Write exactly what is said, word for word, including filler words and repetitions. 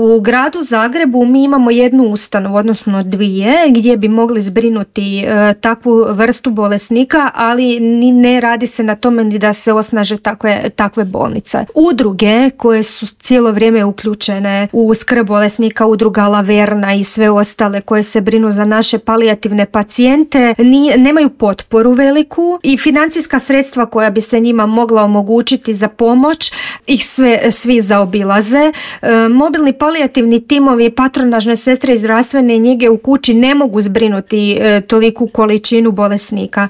U gradu Zagrebu mi imamo jednu ustanovu, odnosno dvije, gdje bi mogli zbrinuti e, takvu vrstu bolesnika, ali ni ne radi se na tome ni da se osnaže takve, takve bolnice. Udruge koje su cijelo vrijeme uključene u skrb bolesnika, udruga Laverna i sve ostale koje se brinu za naše palijativne pacijente, ni, nemaju potporu veliku i financijska sredstva koja bi se njima mogla omogućiti za pomoć ih sve, svi zaobilaze. E, mobilni palijativni timovi, patronažne sestre i zdravstvene njege u kući ne mogu zbrinuti e, toliku količinu bolesnika.